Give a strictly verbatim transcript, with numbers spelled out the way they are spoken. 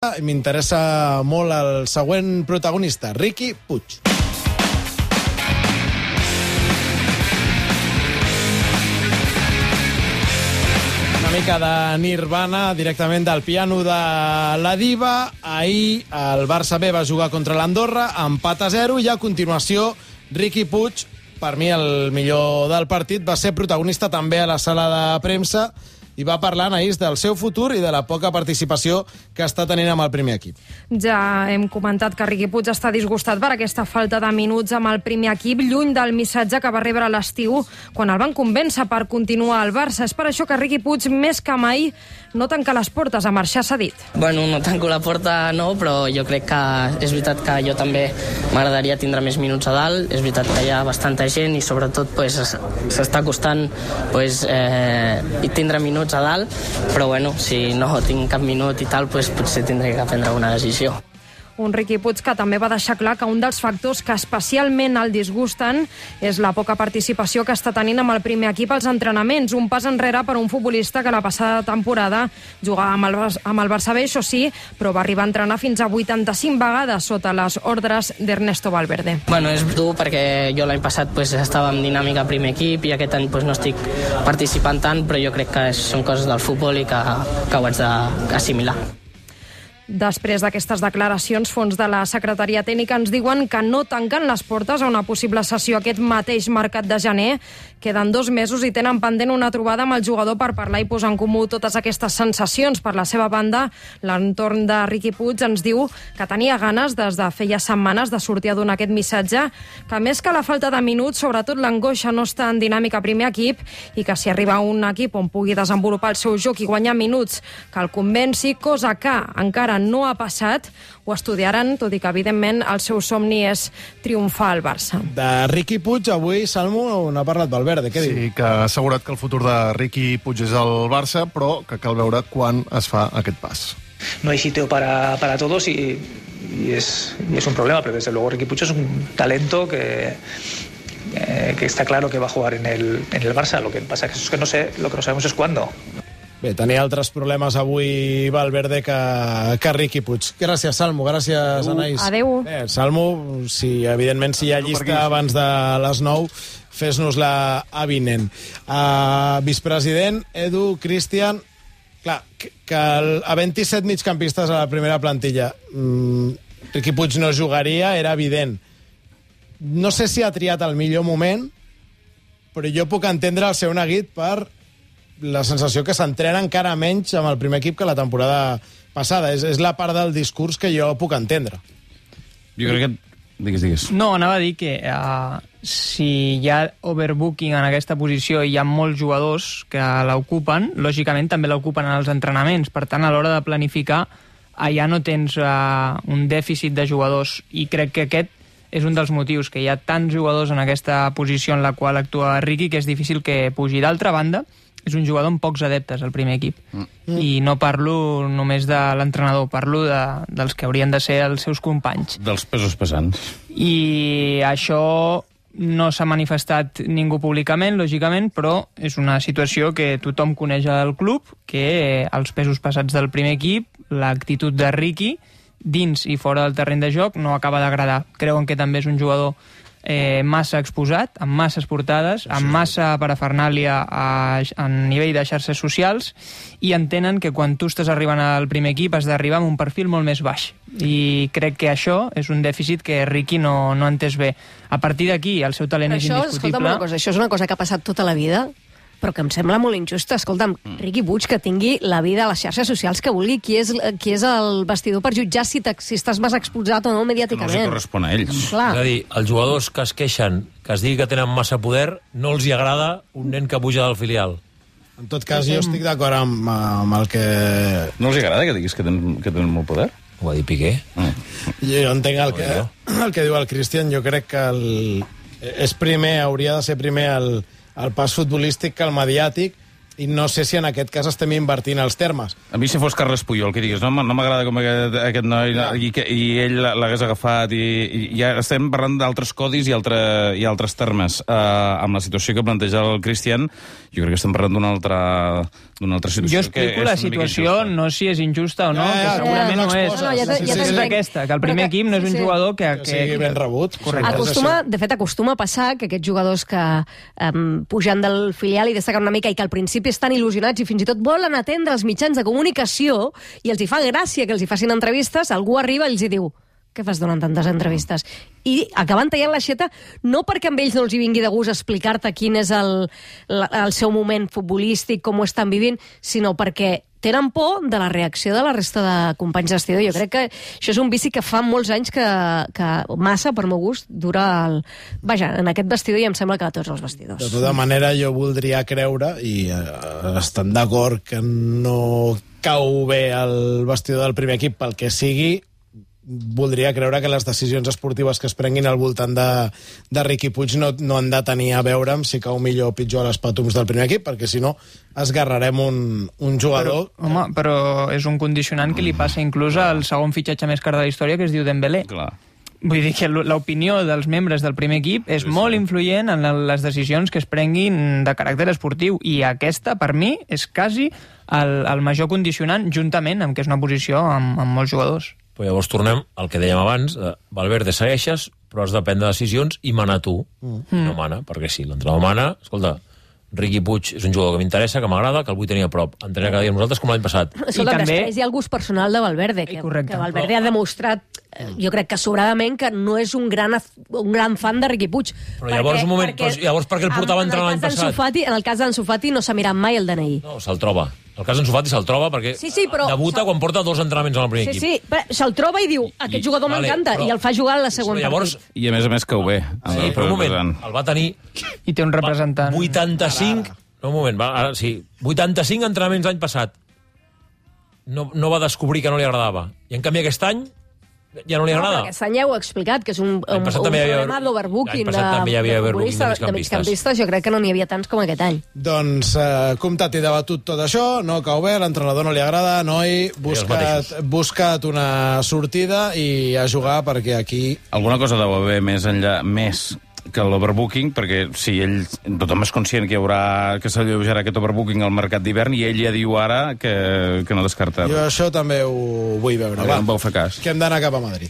M'interessa molt el següent protagonista, Riqui Puig. Una mica de Nirvana, directament del piano de la diva. Ahir el Barça B va jugar contra l'Andorra, empat a zero, i a continuació Riqui Puig, per mi el millor del partit, va ser protagonista també a la sala de premsa i va parlar, Anaïs, del seu futur i de la poca participació que està tenint amb el primer equip. Ja hem comentat que Riqui Puig està disgustat per aquesta falta de minuts amb el primer equip, lluny del missatge que va rebre a l'estiu quan el van convèncer per continuar al Barça. És per això que Riqui Puig, més que mai, no tanca les portes a marxar cedit. Bueno, no tanco la porta, no, però jo crec que és veritat que jo també m'agradaria tindre més minuts a dalt. És veritat que hi ha bastanta gent i sobretot pues, s'està costant pues, eh, tindre minuts a dalt, però bueno, si no tinc cap minut i tal, pues, potser tindré que prendre una decisió. Un Riqui Puig que també va deixar clar que un dels factors que especialment el disgusten és la poca participació que està tenint amb el primer equip als entrenaments. Un pas enrere per un futbolista que la passada temporada jugava amb el, amb el Barça B, això sí, però va arribar a entrenar fins a vuitanta-cinc vegades sota les ordres d'Ernesto Valverde. Bueno, és dur perquè jo l'any passat pues, estava en dinàmica primer equip i aquest any pues, no estic participant tant, però jo crec que són coses del futbol i que, que ho haig d'assimilar. Després d'aquestes declaracions, fons de la Secretaria Tècnica ens diuen que no tanquen les portes a una possible sessió aquest mateix mercat de gener. Queden dos mesos i tenen pendent una trobada amb el jugador per parlar i posar en comú totes aquestes sensacions. Per la seva banda, l'entorn de Riqui Puig ens diu que tenia ganes des de feia setmanes de sortir a donar aquest missatge, que més que la falta de minuts, sobretot l'angoixa no està en dinàmica primer equip i que si arriba un equip on pugui desenvolupar el seu joc i guanyar minuts que el convenci, cosa que encara no ha passat, ho estudiaran, tot i que, evidentment, el seu somni és triomfar al Barça. De Riqui Puig, avui, Salmo, n'ha parlat Valverde. Què sí, diu? Sí, que ha assegurat que el futur de Riqui Puig és el Barça, però que cal veure quan es fa aquest pas. No hay sitio para, para todos y, y, es, y es un problema, pero desde luego Riqui Puig es un talento que... Eh, que está claro que va a jugar en el, en el Barça. Lo que pasa es que no sé, lo que no sabemos es cuándo. Bé, tenia altres problemes avui Valverde que, que Riqui Puig. Gràcies, Salmo. Gràcies, Anaïs. Adéu. Bé, Salmo, si, evidentment, si hi ha llista abans de les nou, fes-nos-la avinent. Uh, vicepresident, Edu, Cristian... Clar, que, que el, havent-hi set migcampistes a la primera plantilla, um, Riqui Puig no jugaria, era evident. No sé si ha triat el millor moment, però jo puc entendre el seu neguit per la sensació que s'entrena encara menys amb el primer equip que la temporada passada. És, és la part del discurs que jo puc entendre. Jo crec que... Digues, digues. No, anava a dir que uh, si hi ha overbooking en aquesta posició i hi ha molts jugadors que l'ocupen, lògicament també l'ocupen en els entrenaments. Per tant, a l'hora de planificar, allà no tens uh, un dèficit de jugadors. I crec que aquest és un dels motius, que hi ha tants jugadors en aquesta posició en la qual actua Riqui, que és difícil que pugi. D'altra banda, és un jugador amb pocs adeptes al primer equip. Mm. I no parlo només de l'entrenador, parlo de, dels que haurien de ser els seus companys. Dels pesos pesants. I això no s'ha manifestat ningú públicament, lògicament, però és una situació que tothom coneix al club, que els pesos pesats del primer equip, l'actitud de Riqui, dins i fora del terreny de joc, no acaba d'agradar. Creuen que també és un jugador Eh, massa exposat, amb masses portades, amb massa parafernàlia a, a nivell de xarxes socials, i entenen que quan tu estàs arribant al primer equip has d'arribar amb un perfil molt més baix. I crec que això és un dèficit que Riqui no, no ha entès bé. A partir d'aquí, el seu talent és això, indiscutible. Escolta'm una cosa, això és una cosa que ha passat tota la vida, però que em sembla molt injusta. Escolta'm, mm. Riqui Puig, que tingui la vida a les xarxes socials que vulgui, qui és, qui és el vestidor per jutjar si, si estàs més exposat o no mediàticament. No els correspon a ells. Clar. És a dir, els jugadors que es queixen, que es digui que tenen massa poder, no els hi agrada un nen que puja del filial. En tot cas, jo estic d'acord amb, amb el que... No els agrada que diguis que tenen, que tenen molt poder? Ho va dir Piqué. Mm. Jo entenc el que, el que diu el Cristian. Jo crec que el, és primer, hauria de ser primer el, el pas futbolístic que el mediàtic, i no sé si en aquest cas estem invertint els termes. A mi, si fos Carles Puyol, que digues, no, no m'agrada com aquest, aquest noi, no, i, que, i ell l'hagués agafat, i, i ja estem parlant d'altres codis i, altre, i altres termes. Uh, amb la situació que planteja el Cristian, jo crec que estem parlant d'una altra, d'una altra situació. Jo explico la situació, no si és injusta o no, Ja, ja, que segurament ja, no és. no, ja t'entenc. És aquesta, que el primer Però que- equip no és sí, un sí. jugador que... Que sigui ben rebut. Correcte. Acostuma, de fet, acostuma a passar que aquests jugadors que um, pugen del filial i destaquen una mica i que al principi estan il·lusionats i fins i tot volen atendre els mitjans de comunicació i els hi fa gràcia que els hi facin entrevistes, algú arriba i els hi diu què fas donant tantes entrevistes? I acaben tallant l'aixeta no perquè amb ells no els hi vingui de gust explicar-te quin és el, la, el seu moment futbolístic, com ho estan vivint, sinó perquè tenen por de la reacció de la resta de companys d'estidor. Jo crec que això és un vici que fa molts anys que, que massa, per meu gust, dura el... Vaja, en aquest vestidor i em sembla que a tots els vestidors. De tota manera, jo voldria creure, i eh, estan d'acord que no cau bé el vestidor del primer equip pel que sigui, voldria creure que les decisions esportives que es prenguin al voltant de, de Riqui Puig no, no han de tenir a veure amb si cau millor o pitjor a les pàtums del primer equip, perquè si no esgarrarem un, un jugador... Però, home, però és un condicionant que li passa inclús al segon fitxatge més car de la història, que es diu Dembélé. Clar. Vull dir que l'opinió dels membres del primer equip és sí, molt sí. influent en les decisions que es prenguin de caràcter esportiu, i aquesta, per mi, és quasi el, el major condicionant, juntament amb que és una posició amb, amb molts jugadors. Però llavors tornem al que dèiem abans, eh, Valverde segueixes, però has de prendre decisions i mana tu. Mm. No mana, perquè sí, l'entrenador mana, escolta, Riqui Puig és un jugador que m'interessa, que m'agrada, que el vull tenir a prop. Entrenar cada dia amb nosaltres com l'any passat. Escolta, també... després hi ha el gust personal de Valverde, que, Correcte. que Valverde ha demostrat, eh, jo crec que sobradament, que no és un gran, un gran fan de Riqui Puig. Però llavors, perquè, un moment, perquè, però llavors per què el portava a entrenar l'any passat? Fati, en el cas d'en Sufati no s'ha mirat mai el D N I. No, se'l troba. El cas d'en Sufati se'l troba perquè sí, sí, però... debuta quan porta dos entrenaments al primer sí, equip. Sí, sí, se'l troba i diu, aquest jugador vale, m'encanta, però... i el fa jugar a la segona llavors... partit. I a més a més cau bé. Sí, però un moment, el va tenir... I té un representant. vuitanta-cinc... No, un moment, va, ara sí. vuitanta-cinc entrenaments l'any passat. No, no va descobrir que no li agradava. I en canvi aquest any ja no li agrada. No, aquest any ja ho he explicat, que és un, un, un havia... problema d'overbooking de, també hi havia de, overbooking de de migcampistes. Jo crec que no n'hi havia tants com aquest any. Doncs eh, comptat i debatut tot això, no cau bé, l'entrenador no li agrada, noi, buscat, buscat una sortida i a jugar perquè aquí... Alguna cosa deu haver més enllà, més que l'overbooking, perquè si ell, tothom és conscient que hi haurà, que s'alleujarà aquest overbooking al mercat d'hivern, i ell ja diu ara que, que no descarta. Jo això també ho vull veure. Va, no em vau fer cas. Que hem d'anar cap a Madrid.